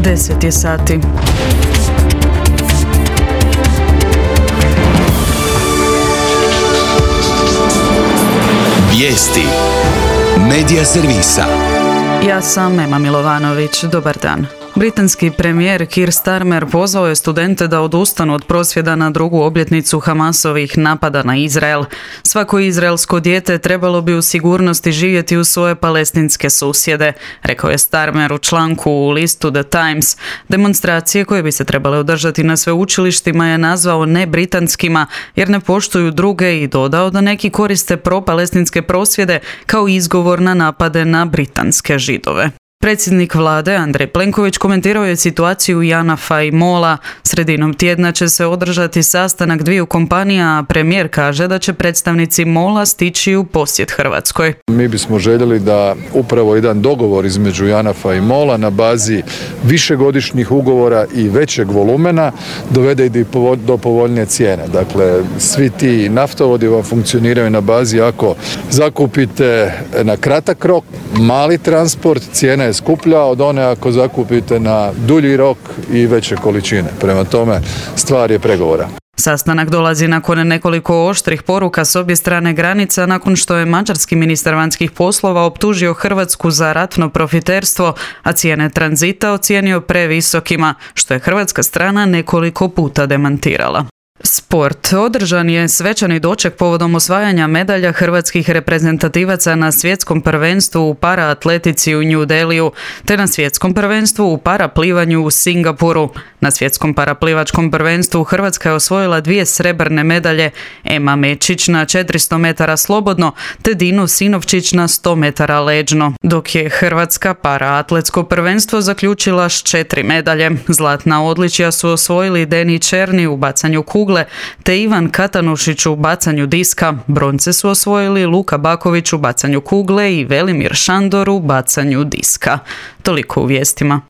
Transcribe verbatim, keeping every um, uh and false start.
deset je sati. Vijesti Medija servisa. Ja sam Ema Milovanović. Dobar dan. Britanski premijer Keir Starmer pozvao je studente da odustanu od prosvjeda na drugu obljetnicu Hamasovih napada na Izrael. Svako izraelsko dijete trebalo bi u sigurnosti živjeti u svoje palestinske susjede, rekao je Starmer u članku u listu The Times. Demonstracije koje bi se trebale održati na sveučilištima je nazvao nebritanskima jer ne poštuju druge i dodao da neki koriste propalestinske prosvjede kao izgovor na napade na britanske Židove. Predsjednik vlade Andrej Plenković komentirao je situaciju Janafa i Mola. Sredinom tjedna će se održati sastanak dviju kompanija, a premijer kaže da će predstavnici Mola stići u posjet Hrvatskoj. Mi bismo željeli da upravo jedan dogovor između Janafa i Mola na bazi višegodišnjih ugovora i većeg volumena dovede i do povoljnije cijene. Dakle, svi ti naftovodi vam funkcioniraju na bazi ako zakupite na kratak rok, mali transport, cijena je skuplja od one ako zakupite na dulji rok i veće količine. Prema tome, stvar je pregovora. Sastanak dolazi nakon nekoliko oštrih poruka s obje strane granica nakon što je mađarski ministar vanjskih poslova optužio Hrvatsku za ratno profiterstvo, a cijene tranzita ocijenio previsokima, što je hrvatska strana nekoliko puta demantirala. Sport. Održan je svečani doček povodom osvajanja medalja hrvatskih reprezentativaca na svjetskom prvenstvu u paraatletici u New Delhiju, te na svjetskom prvenstvu u paraplivanju u Singapuru. Na svjetskom paraplivačkom prvenstvu Hrvatska je osvojila dvije srebrne medalje, Ema Mečić na četiristo metara slobodno, te Dino Sinovčić na sto metara leđno, dok je Hrvatska paraatletsko prvenstvo zaključila s četiri medalje. Zlatna odličja su osvojili Deni Černi u bacanju kugle, te Ivan Katanušić u bacanju diska. Bronce su osvojili Luka Baković u bacanju kugle i Velimir Šandor u bacanju diska. Toliko u vijestima.